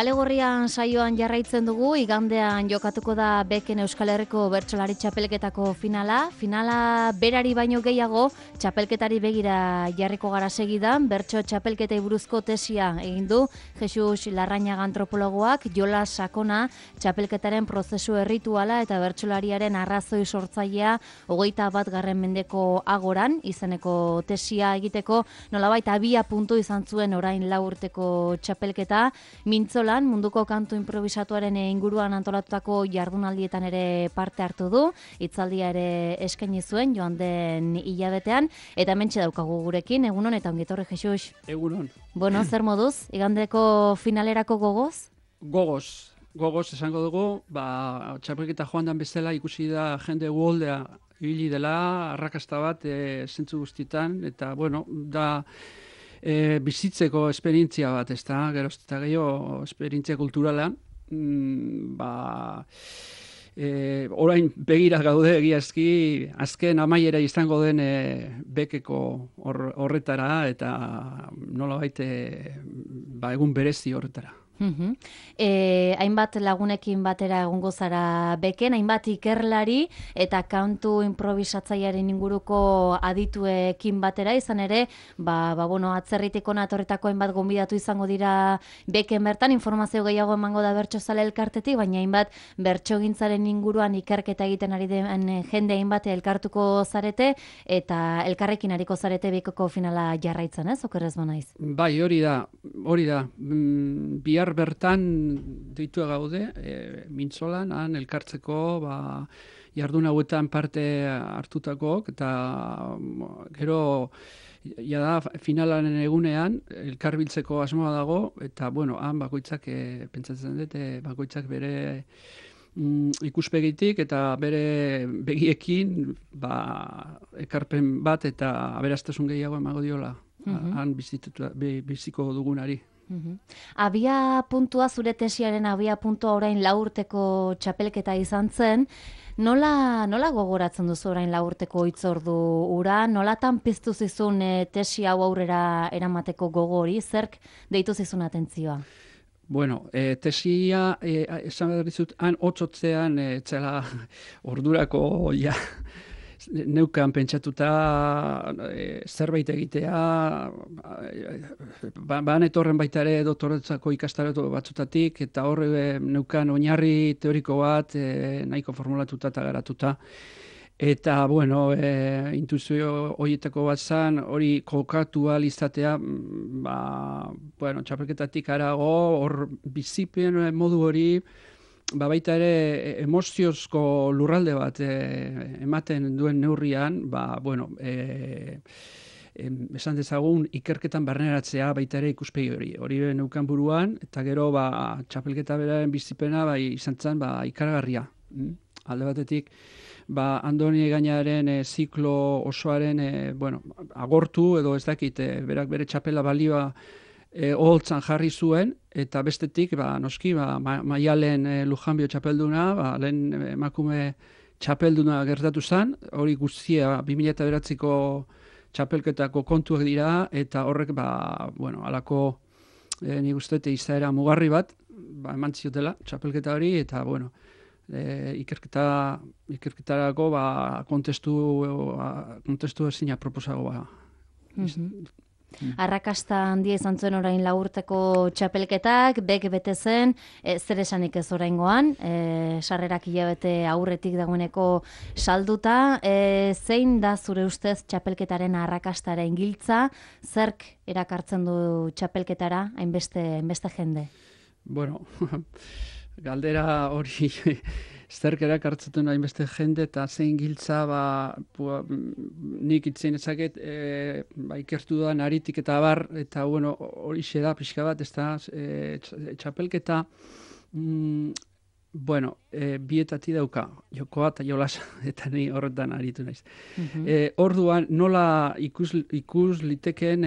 Kale Gorrian saioan jarraitzen dugu, igandean jokatuko da Beken Euskal Herriko bertsolari txapelketako finala. Finala berari baino gehiago, txapelketari begira jarriko gara segidan, bertso txapelketei buruzko tesia egin du Jesus Larrañaga antropologoak, jola sakona txapelketaren prozesu errituala eta bertsolariaren arrazoi sortzailea 21. mendeko agoran, izeneko tesia egiteko, nolabait abia puntu izan zuen orain 4 urteko txapelketa, Mintzolan munduko kantu improvisatuaren inguruan antolatutako jardunaldietan ere parte hartu du, hitzaldia ere eskaini zuen joan den hilabetean, eta hementxe daukagu gurekin, egunon eta ongi etorri Jesus. Egunon. Bueno, zer moduz, igandeko finalerako gogoz? Gogoz esango dugu, txapelketa joan dan bezala ikusi da jende uholdea ibili dela, arrakasta bat zentzu guztietan, eta bueno, da bizitzeko esperientzia bat, ez da, geroz eta gehiago esperientzia kulturalan, orain begira gaude egiazki, azken amaiera izango den bekeko horretara, eta nolabait egun berezi horretara. Hainbat lagunekin batera egongo zara Beken, hainbat ikerlari eta kantu improvisatzailearen inguruko adituekin batera, izan ere, atzerritiko natorretako hainbat gonbidatu izango dira Beken bertan, informazio gehiago emango da bertsozale elkartetik, baina hainbat bertsogintzaren inguruan ikerketa egiten ari den jende hainbat elkartuko zarete eta elkarrekin ariko zarete Bekeko finala jarraitzen, ez? Okerrez banaiz. Bai, hori da. Bihar bertan deitua gaude, Mintzolan, han elkartzeko, jardun hauetan parte hartutakok, eta gero jada finalaren egunean elkarbiltzeko asmoa dago, eta han bakoitzak, pentsatzen dut, bakoitzak bere ikuspegitik eta bere begiekin ekarpen bat eta aberastasun gehiago emango diola, han biziko dugunari. Abia puntua, zure tesiaren abia puntua orain 4 urteko txapelketa izan zen, nola gogoratzen duzu orain 4 urteko hitzordu ura, nolatan piztu zizun tesi hau aurrera eramateko gogori, zerk deitu zizun atentzioa? Bueno, tesia, esan behar dizut, han otzotzean, txela ordurako neukan pentsatuta zerbait egitea, etorren baita ere doktoretzako ikastarotu batzutatik, eta horre neukan oinarri teoriko bat nahiko formulatuta eta garatuta. Eta, intuizio horietako bat zan, hori kokatu izatea, txapelketatik arago, hor bizipen modu hori, baita ere emoziozko lurralde bat ematen duen neurrian, esan dezagun ikerketan barneratzea baita ere ikuspegi hori. Hori neukan buruan, eta gero txapelketa beraren bizipena izan zen ikaragarria. Alde batetik, Andoni Egañaren ziklo osoaren agortu, edo ez dakit, berak bere txapela balioa oholtzan jarri zuen, eta bestetik, noski, Maialen Lujanbio txapelduna, lehen emakume txapelduna gertatu zen, hori guztia 2009ko txapelketako kontuak dira, eta horrek, alako, nik uste, izaera mugarri bat, eman ziotela txapelketa hori, eta, ikerketarako kontestu ezina proposago Arrakasta handia izan zuen orain 4 urteko txapelketak, Bek bete zen, zer esanik ez oraingoan, sarrerak hilabete aurretik dagoeneko salduta, zein da zure ustez txapelketaren arrakastaren giltza, zerk erakartzen du txapelketara hainbeste jende? Bueno, galdera hori zerk erakartzen hainbeste jende eta zein giltza nik itzen ezaket ikertu duan aritik eta bar, eta hori da pixka bat, ez da txapelketa bietati dauka, jokoa eta jolasa, eta ni horretan aritu naiz. Orduan nola ikus litekeen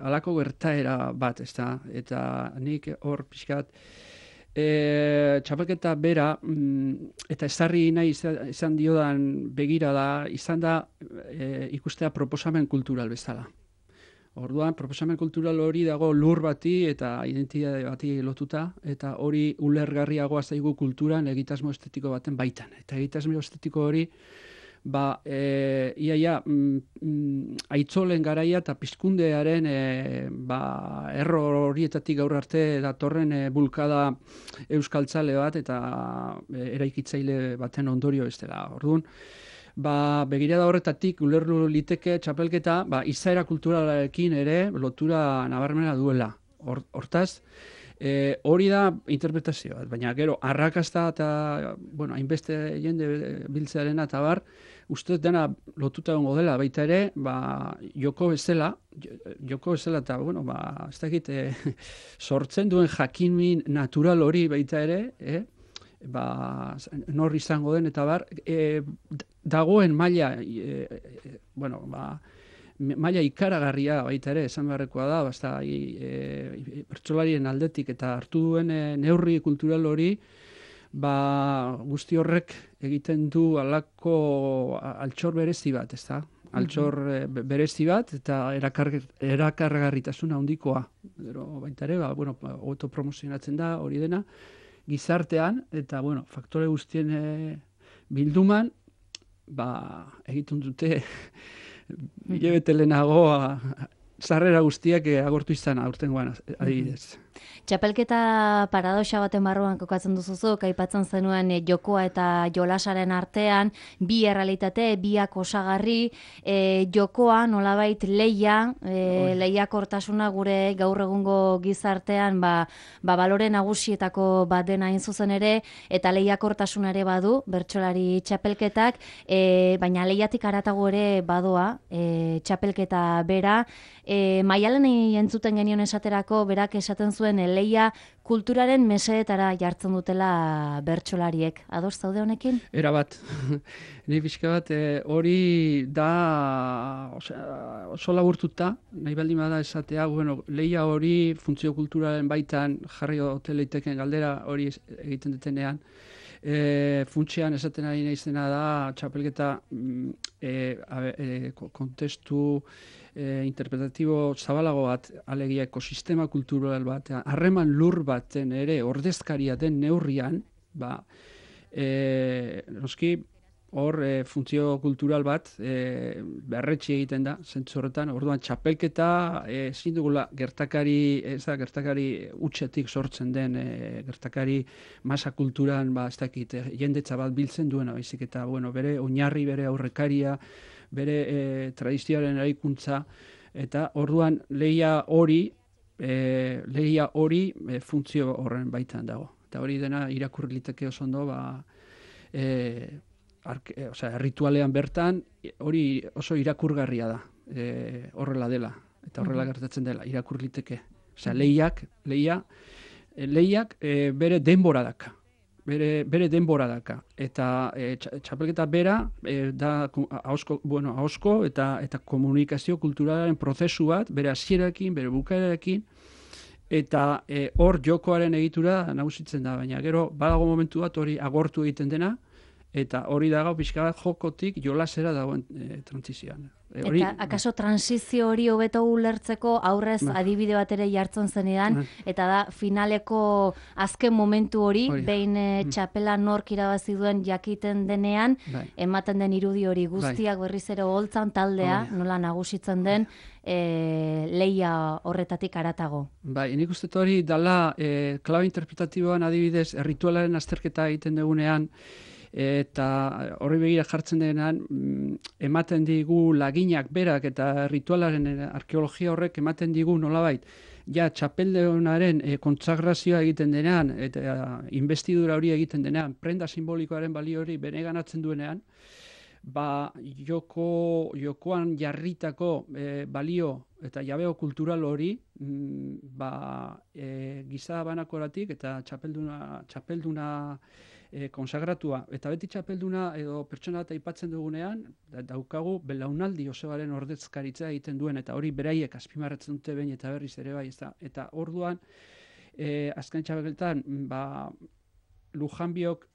alako gertaera bat, ez da, eta nik hor pixka bat txapelketa bera eta ezarri nahi izan diodan begira da, izan da ikustea proposamen kultural bezala. Orduan, proposamen kultural hori dago lur bati eta identitate bati lotuta, eta hori ulergarriagoa zaigu kulturan egitasmo estetiko baten baitan. Eta egitasmo estetiko hori, aitzolen garaia eta pizkundearen error horietatik gaur arte datorren bulkada euskaltzale bat eta eraikitzaile baten ondorio ez dela. Orduan, begirada horretatik ulertu liteke txapelketa izaera kulturalarekin ere lotura nabarmena duela. Hortaz, hori da interpretazioa, baina gero arrakasta eta hainbeste jende biltzearena eta bar, uste dena lotuta egongo dela, baita ere, joko bezala eta, ez dakit, sortzen duen jakinmin natural hori baita ere, nor izango den eta bar, dagoen maila, maila ikaragarria baita ere, esan beharrekoa da, pertsolarien aldetik eta hartu duen neurri kultural hori, guzti horrek egiten du alako altxor berezi bat, ez da? Altxor berezi bat eta erakargarritasuna handikoa. Baita ere, autopromozionatzen da hori dena, gizartean, eta, faktore guztien bilduman, egiten dute hilabete lehenago sarrera guztiak agortu izan aurtengoan adibidez. Txapelketa paradoxa baten barruan kokatzen duzuzuk, aipatzen zenuen jokoa eta jolasaren artean, bi errealitate, biak osagarri, jokoa nolabait lehiakortasuna gure gaur egungo gizartean balore nagusietako bat dena hain zuzen ere, eta lehiakortasuna ere badu, bertsolari txapelketak, baina lehiatik haratago ere badoa, txapelketa bera, Maialenei entzuten genion esaterako, berak esaten zuen lehia kulturaren mesedetara jartzen dutela bertsolariek. Ados zaude honekin? Era bat. Ni pixka bat hori da oso laburtuta, nahi baldin bada esatea, lehia hori funtzio kulturalen baitan jarri ote leiteken galdera hori egiten dutenean. Funtsean esaten ari naizena da txapelketa kontestu interpretatibo zabalago bat, alegia ekosistema kultural bat, harreman lur baten ere ordezkaria den neurrian, noski hor funtzio kultural bat berretsi egiten da, zentzu horretan, orduan txapelketa ezin dugula gertakari utxetik sortzen den gertakari masa kulturan, ez dakit, jendetza bat biltzen duena, baizik eta, bere oinarri, bere aurrekaria, bere tradizioaren eraikuntza, eta orduan lehia hori funtzio horren baitan dago. Eta hori dena irakurri liteke oso ondo, ritualean bertan, hori oso irakurgarria da, horrela dela, eta horrela gertatzen dela, irakurri liteke. Lehiak bere denbora daka. Bere denbora daka. Eta txapelketa bera da ahozko eta komunikazio kulturalaren prozesu bat, bere hasierarekin, bere bukaerarekin, eta hor jokoaren egitura nagusitzen da, baina gero badago momentu bat hori agortu egiten dena, eta hori dago pixka bat jokotik jolasera dagoen trantzizioan. Eta akaso transizio hori hobeto ulertzeko aurrez adibide bat ere jartzen zenean, eta da finaleko azken momentu hori, behin txapela nork irabazi duen jakiten denean, ematen den irudi hori guztiak berriz ere holtzan taldea, nola nagusitzen den, lehia horretatik haratago. Nik uste hori dala klabe interpretatiboan adibidez ritualaren azterketa egiten dugunean, eta horri begira jartzen denean, ematen digu laginak berak eta ritualaren arkeologia horrek ematen digu nolabait, txapelduenaren kontsagrazioa egiten denean, eta investidura hori egiten denean, prenda simbolikoaren balio hori beneganatzen duenean, jokoan jarritako balio eta jabeo kultural hori giza banakoratik eta txapelduna konsagratua. Eta beti txapelduna edo pertsona bat aipatzen dugunean, daukagu belaunaldi osoaren ordezkaritza egiten duen, eta hori beraiek azpimarratzen dute behin eta berriz ere bai. Eta orduan, azken txapelketan, Lujanbiok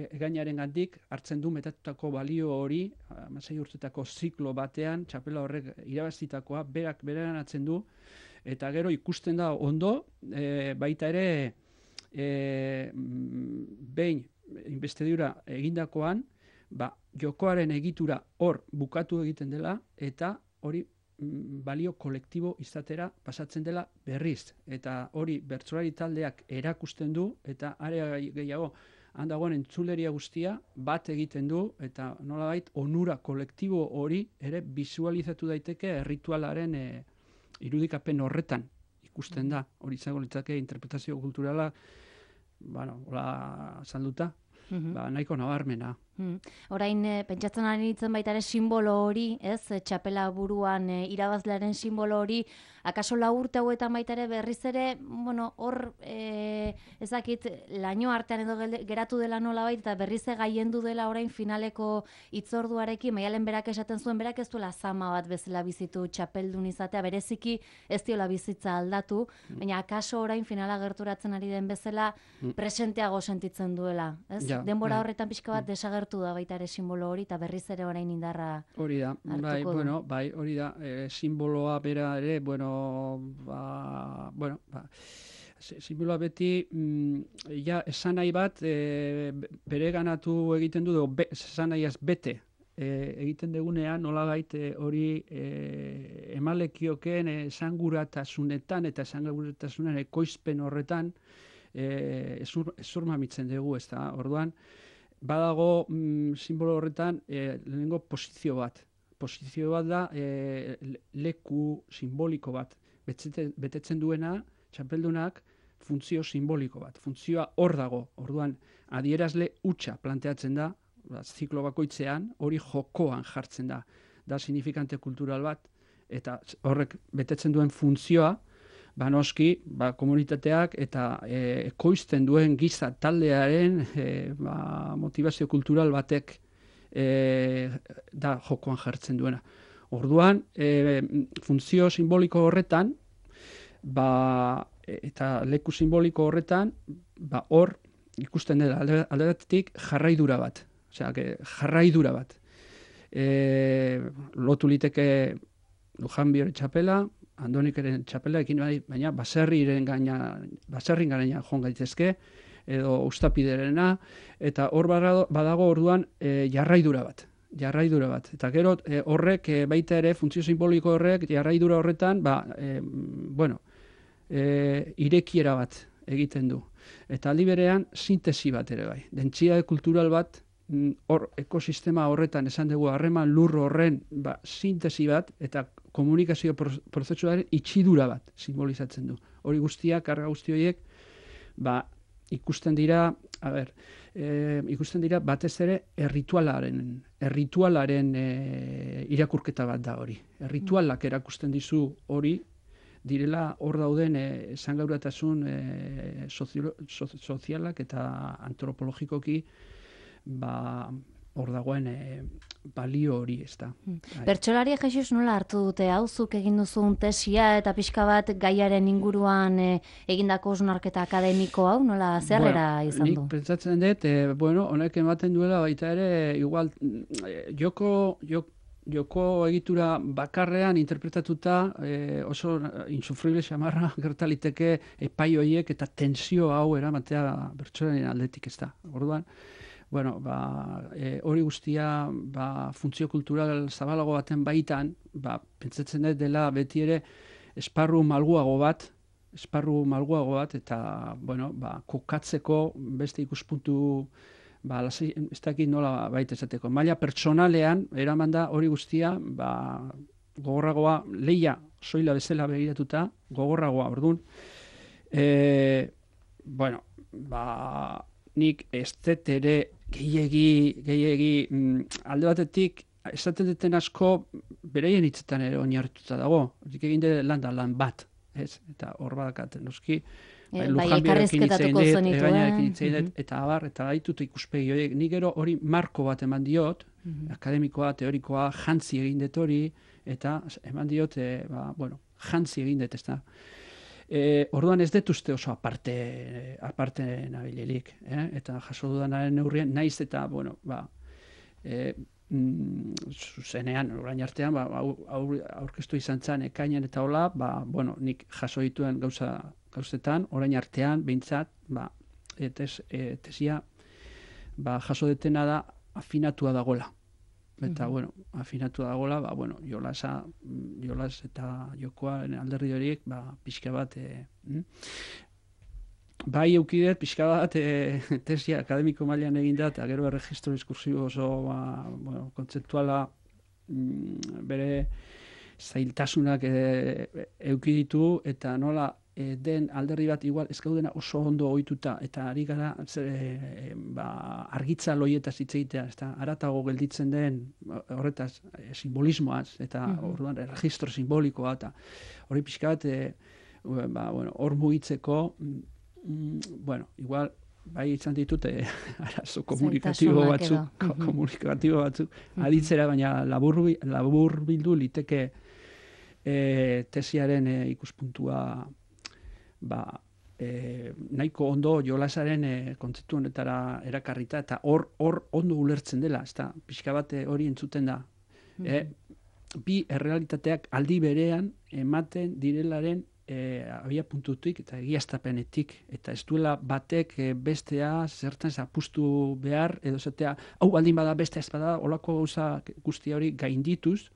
egainaren gandik hartzen du metatutako balio hori, 16 urtetako ziklo batean, txapela horrek irabazitakoa, berak beranatzen du, eta gero ikusten da ondo, baita ere, behin investidura egindakoan, jokoaren egitura hor bukatu egiten dela, eta hori balio kolektibo izatera pasatzen dela berriz. Eta hori bertsolari taldeak erakusten du, eta are gehiago handagoen entzuleria guztia bat egiten du, eta nolabait onura kolektibo hori ere visualizatu daiteke ritualaren irudikapen horretan ikusten da. Hori izango litzake interpretazio kulturala, hola salduta, nahiko nabarmena. Orain, pentsatzen ari nintzen baita ere simbolo hori, ez? Txapela buruan irabazlearen simbolo hori, akaso 4 urte hauetan baita ere berriz ere, hor, ezakit, laino artean edo geratu dela nolabait, eta berriz gaiendu dela orain finaleko hitzorduarekin, Maialen berak esaten zuen, berak ez duela zama bat bezala bizitu txapeldun izatea, bereziki ez diola bizitza aldatu, baina akaso orain finala gerturatzen ari den bezala presenteago sentitzen duela, ez? Denbora horretan pixka bat desagertu da baita ere simbolo hori, eta berriz ere orain indarra hori da, hori da, simboloa bera ere, simboloa beti, esan nahi bat, bere ganatu egiten du, esan nahiaz bete, egiten degunean, nolabait hori emalekioken esanguratasunetan eta esanguratasunen ekoizpen horretan ezurmamitzen dugu, ez da, orduan, badago simbolo horretan lehenengo posizio bat. Posizio bat da leku simboliko bat. Betetzen duena, txapeldunak, funtzio simboliko bat. Funtzioa hor dago. Orduan, adierazle hutsa planteatzen da, ziklo bakoitzean, hori jokoan jartzen da. Da signifikante kultural bat, eta horrek betetzen duen funtzioa, noski, komunitateak eta ekoizten duen giza taldearen motivazio kultural batek da jokoan jartzen duena. Orduan, funtzio simboliko horretan, eta leku simboliko horretan, hor ikusten dela alde batetik jarraidura bat. Osea, jarraidura bat. Lotu liteke Lujanbiore txapela, Andonikeren txapela ekin baina baserrin garaina joan gaitezke, edo Uztapiderena, eta hor badago orduan jarraidura bat. Eta gero horrek baita ere, funtzio simboliko horrek, jarraidura horretan, irekiera bat egiten du. Eta aldi berean, sintesi bat ere bai. Dentsitate kultural bat, hor ekosistema horretan esan dugu harreman lur horren sintesi bat, eta komunikazio prozesuaren itxidura bat simbolizatzen du. Hori guztiak, karga guzti horiek, ikusten dira batez ere erritualaren irakurketa bat da hori. Erritualak erakusten dizu hori, direla hor dauden esangauratasun sozialak eta antropologikoki hor dagoen balio hori, ez da. Bertsolaria Jesus nola hartu dute, hauzuk egin duzun tesia eta pixka bat gaiaren inguruan egindako hausnarketa akademiko hau, nola zerrera izan du? Nik pentsatzen dut, honek ematen duela baita ere, igual, joko egitura bakarrean interpretatuta oso insufrible xamarra gertaliteke epai horiek eta tensio hau eramatea bertsolaren aldetik, ez da. Orduan, hori guztia funtzio kultural zabalago baten baitan, pentsatzen dut dela beti ere esparru malguago bat, eta kokatzeko beste ikuspuntu ez dakit nola baita esateko. Maila pertsonalean, eraman da hori guztia, gogorragoa, lehia soila bezala begiratuta, gogorragoa, orduan. Nik ez dut ere gehiegi alde batetik, esaten duten asko bereien hitzetan ere oinarrituta dago. Horik egin dut lan bat, ez? Eta hor badakat, noski, Lujanbirekin hitzein dut, eta abar, eta gaitut ikuspegi horiek. Nik gero hori marko bat eman diot, akademikoa, teorikoa, jantzi egin dut hori, eta eman diot, jantzi egin dut, ez da. Orduan ez dut uste oso aparte nabilirik, eta jaso dudanaren neurrien, naiz eta, bueno, zuzenean, orain artean, aurkeztu izan zen ekainan eta hola, bueno, nik jaso dituen gauzetan, orain artean, behintzat, tesia, jaso detena da, afinatua dagola. Eta, bueno, afinatu dagoela, bueno, jolas eta jokoa alderdi horiek, pixka bat, bai eukidet, pixka bat, tesia akademiko mailan egin da, eta gero erregistro diskursibo oso, bueno, kontzeptuala bere zailtasunak eukiditu, eta nola den alderdi bat igual ez gaudena oso ondo ohituta eta ari gara argitza loietaz hitz egitea, ezta haratago gelditzen den horretaz simbolismoaz eta orduan erregistro simbolikoa eta hori pixka bat bueno, hor mugitzeko bueno, igual bai izan ditute arazo komunikatibo batzuk aditzera, baina labur bildu liteke tesiaren ikuspuntua nahiko ondo jolasaren kontzeptu honetara erakarrita eta hor ondo ulertzen dela, ezta pixka bat hori entzuten da. Bi errealitateak aldi berean ematen direlaren abia puntutik eta egiaztapenetik, eta ez duela batek bestea zertan zapustu behar, edo zatea, hau baldin bada bestea ez bada, olako gauza guztia hori gaindituz,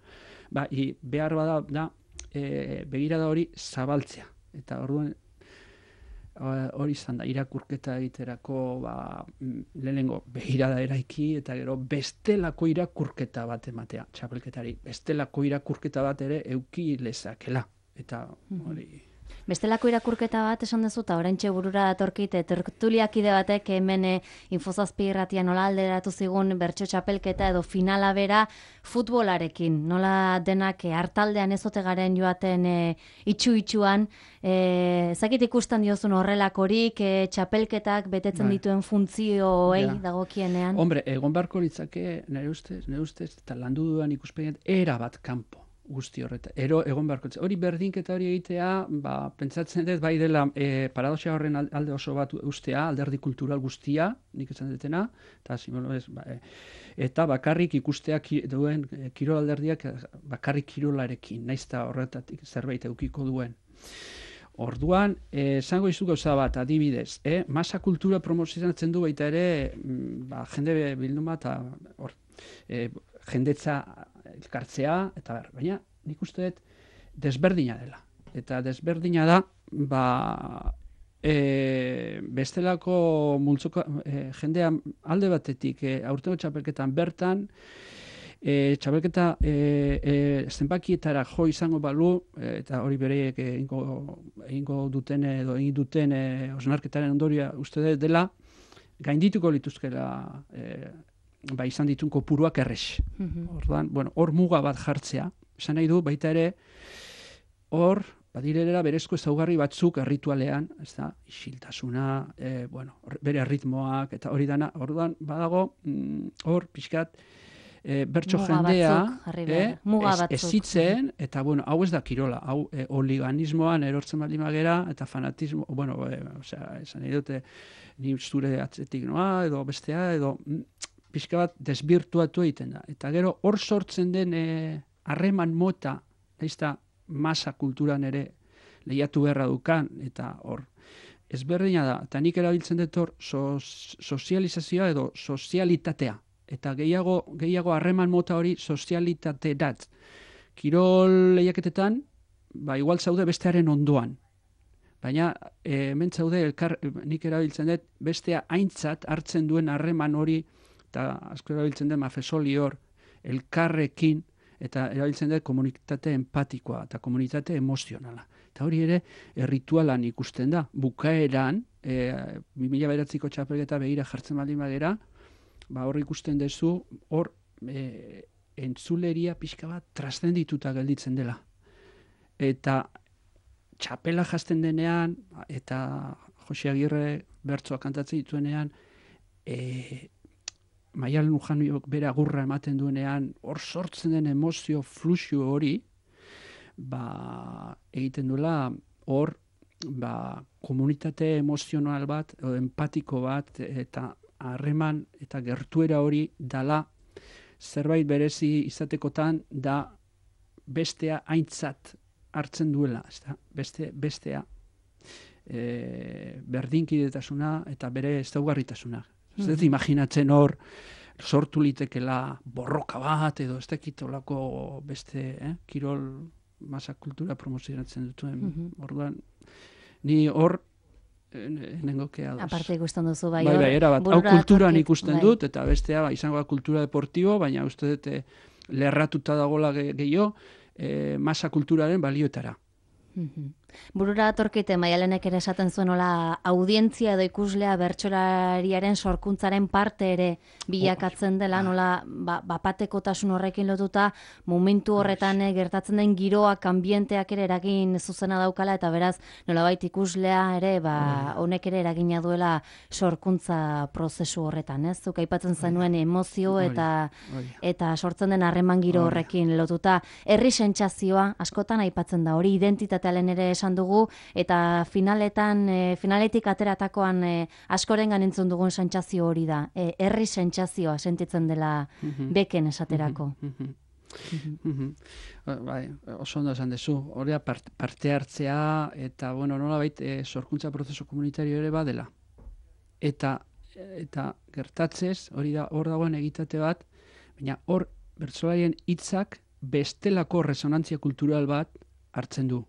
behar bada da begirada hori zabaltzea. Eta orduan hori izan da, irakurketa egiterako lehenengo begirada eraiki eta gero bestelako irakurketa bat ematea, txapelketari, bestelako irakurketa bat ere euki lezakela. Eta hori... Bestelako irakurketa bat esan dezu, eta oraintxe burura datorkit, tertuliakide batek hemen Infozazpi irratia nola alderatu zigun bertso txapelketa edo finala bera futbolarekin. Nola denak hartaldean ezote garen joaten itxu-itxuan, zakit ikusten diozun horrelakorik, txapelketak betetzen dituen funtzioei dagokienean? Hombre, egon beharko litzake, nire ustez, eta landu dudan ikuspegiat, era bat kanpo. Guzti horreta. Egon beharko. Hori berdinketa hori egitea, pentsatzen dut bai dela paradoxia horren alde oso bat ustea, alderdi kultural guztia, nik esan dutena, eta bakarrik ikustea duen kirol alderdiak bakarrik kirolarekin, naiz eta horretatik zerbait eukiko duen. Orduan, esango izu gauza bat, adibidez, masa kultura promozionatzen du baita ere, jende bilduma eta jendetza elkartzea, eta baina nik uste dut desberdina dela. Eta desberdina da, bestelako multzoko jendea alde batetik aurtengo txapelketan bertan, txapelketa zenbakietara jo izango balu, eta hori bereiek egingo duten edo egin duten osnarketaren ondorioa uste dut dela, gaindituko lituzkela izan ditun kopuruak errex. Orduan, bueno, hor muga bat jartzea. Esan nahi du, baita ere, hor, badirera berezko ezaugarri batzuk erritualean, ez da, isiltasuna, bueno, bere ritmoak, eta hori dana, orduan, badago, hor, pixkat, bertso jendea, ezitzen, eta, bueno, hau ez da kirola, hau oliganismoan erortzen baldin magera, eta fanatismo, bueno, esan nahi dute, ni zure atzetik noa, edo bestea, edo pixka bat desbirtuatu egiten da. Eta gero hor sortzen den harreman mota, naizta masa kulturan ere lehiatu beharra dukan, eta hor ezberdina da. Eta nik erabiltzen dut hor sozializazioa edo sozialitatea. Eta gehiago harreman mota hori sozialitate dat. Kirol lehiaketetan, igual zaude bestearen ondoan. Baina hemen zaude nik erabiltzen dut bestea aintzat hartzen duen harreman hori, eta asko erabiltzen den mafesoli hor, elkarrekin, eta erabiltzen den komunitate empatikoa, eta komunitate emozionala. Eta hori ere, erritualan ikusten da. Bukaeran, 2009ko txapelketa begira jartzen baldin badera, hor ikusten dezu, hor entzuleria pixka bat trascendituta gelditzen dela. Eta txapela jazten denean, eta Jose Agirre bertsoa kantatzen dituenean, Maialen Lujanoiok bere agurra ematen duenean, hor sortzen den emozio fluxu hori, egiten duela hor komunitate emozional bat, edo empatiko bat, eta harreman eta gertuera hori dala zerbait berezi izatekotan da bestea aintzat hartzen duela, bestea berdinkidetasuna eta bere ezaugarritasuna. Ez dut imaginatzen hor sortu litekela borroka bat edo ez dakitolako beste kirol masa kultura promozionatzen dutuen. Orduan, ni hor nengoke ados. Aparte ikusten duzu bai. Bai, erabat. Hau kulturan ikusten dut, eta bestea izango da kultura deportibo, baina uste dut lerratuta dagoela gehiago masa kulturaren balioetara. Burura atorkite Maialenek ere esaten zuen hola audientzia edo ikuslea bertsolariaren sorkuntzaren parte ere bilakatzen dela, nola bapatekotasun horrekin lotuta momentu horretan gertatzen den giroak, anbienteak ere eragin zuzena daukala, eta beraz nolabait ikuslea ere honek ere eragina duela sorkuntza prozesu horretan, ez? Zuk aipatzen zenuen emozio eta sortzen den harreman giro horrekin lotuta. Herri sentsazioa askotan aipatzen da, hori identitatearen ere esan dugu, eta finaletik ateratakoan askorengan entzun dugun sentsazio hori da. Herri sentsazioa sentitzen dela beken esaterako. Bai, oso ondo esan dezu. Hori parte hartzea eta, nolabait sorkuntza prozesu komunitario ere badela. Eta gertatzez, hor dagoen egitate bat, baina hor bertsolarien hitzak bestelako resonantzia kultural bat hartzen du.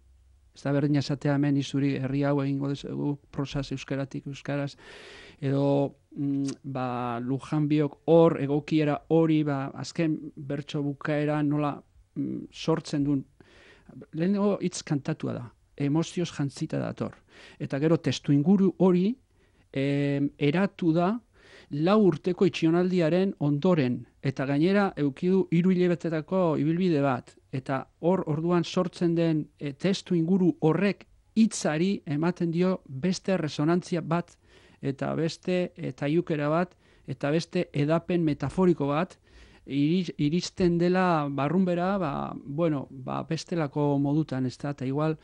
Ez da berdina esatea hemen izuri herri hau egingo dugu prosaz euskaraz, edo Lujan biok hor egokiera hori, azken bertso bukaera nola sortzen duen. Lehenengo hitz kantatua da, emozioz jantzita dator. Eta gero testu inguru hori eratu da 4 urteko itxionaldiaren ondoren, eta gainera eukidu 3 hilabetetako ibilbide bat, eta orduan sortzen den testu inguru horrek hitzari ematen dio beste resonantzia bat, eta beste taiukera bat, eta beste edapen metaforiko bat, iristen dela barrunbera, bestelako modutan, ez da, eta igual,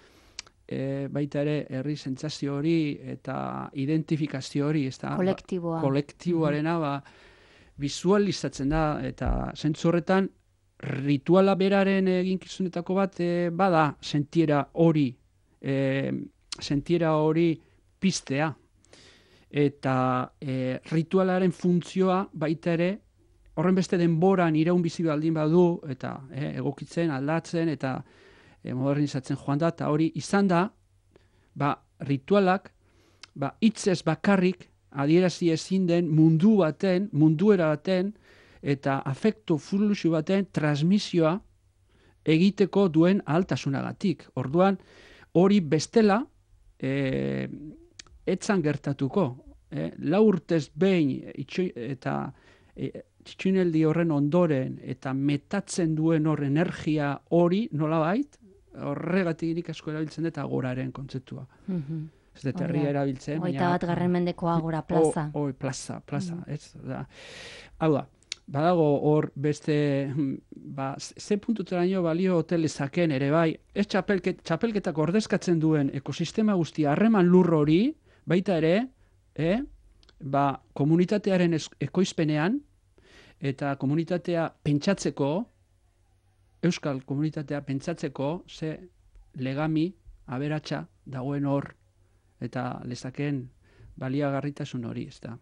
baita ere herri sentsazio hori eta identifikazio hori, ez da, kolektiboarena visualizatzen da, eta zentzu horretan rituala beraren eginkizunetako bat bada sentiera hori piztea, eta ritualaren funtzioa baita ere horren beste denboran iraun bizi baldin badu, eta egokitzen, aldatzen, eta modernizatzen joan da, eta hori izan da, ritualak, hitzez bakarrik adierazi ezin den munduera baten, eta afektu fluxu baten transmisioa egiteko duen altasunagatik. Orduan, hori bestela etzan gertatuko. 4 urtez behin eta txineldi horren ondoren eta metatzen duen hor energia hori nolabait, horregatik nik asko erabiltzen dut agoraren kontzeptua. Ez dut herria erabiltzen. 21. mendeko agora, plaza. Plaza, ez da. Hau da, badago hor beste, ze puntuteraino balio hotelezaken ere bai, ez txapelketak ordezkatzen duen ekosistema guztia harreman lur hori, baita ere, komunitatearen ekoizpenean, eta komunitatea pentsatzeko, euskal komunitatea pentsatzeko, ze legami, aberatsa dagoen hor, eta lezaken baliagarritasun hori, ez da.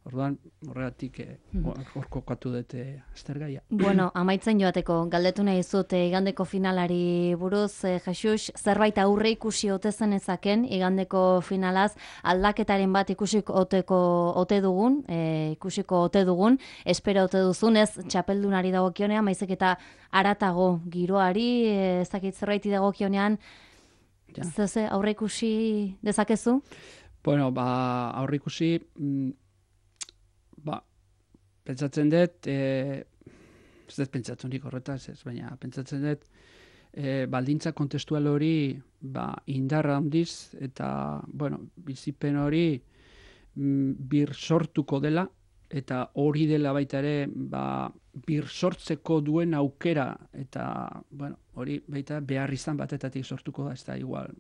Orduan, horregatik hor kokatu dute aztergaia. Bueno, amaitzen joateko, galdetu nahi zut igandeko finalari buruz, Jesus, zerbait aurre ikusi ote zen ezaken, igandeko finalaz, aldaketaren bat ikusiko ote dugun, espero ote duzun, ez txapeldunari dagokionean, maizik eta haratago giroari, ezakit zerbaiti dagokionean, ze aurre ikusi dezakezu? Bueno, aurre ikusi, pentsatzen dut, ez dut pentsatzen nik horretaz, baina pentsatzen dut, baldintza kontestual hori indarra handiz, eta, bizipen hori bir sortuko dela, eta hori dela baita ere, bir sortzeko duen aukera, eta, hori baita behar izan batetatik sortuko da, ez da igual,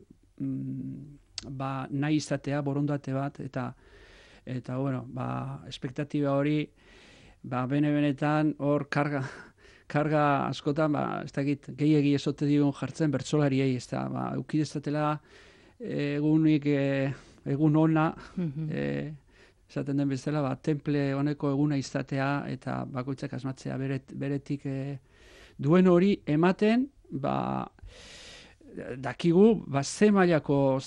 nahi izatea, borondate bat, eta bueno, espektatiba hori, benetan hor karga askotan, ez dakit, gehiegi esote digun jartzen bertsolariei, ez da, eukidezatela egun ona, esaten den bezala, temple honeko eguna izatea, eta bakoitzak asmatzea beretik duen hori ematen, dakigu, ze mailako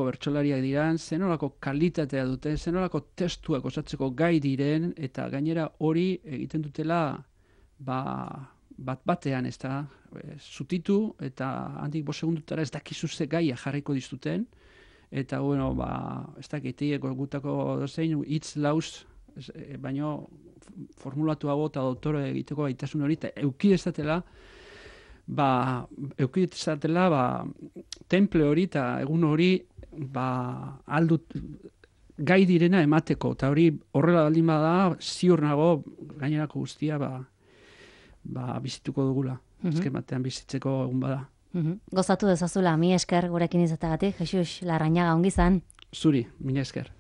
bertsolariak diran, zenolako kalitatea duten, zenolako testuak osatzeko gai diren, eta gainera hori egiten dutela batean, ez da, zutitu, eta handik 5 segundutara ez dakizu ze gaia jarriko dizuten, eta, bueno, ez dakit, gutako dozein, hitz lauz, baino formulatuago eta doktore egiteko gaitasun hori, eta eukidezatela, temple hori eta egun hori aldut gai direna emateko, eta hori horrela baldin bada, ziur nago gainerako guztia bizituko dugula, azken batean bizitzeko egun bada. Gozatu dezazula, mi esker gurekin izateagatik, Jesus Larrañaga, ongi izan. Zuri, mila esker.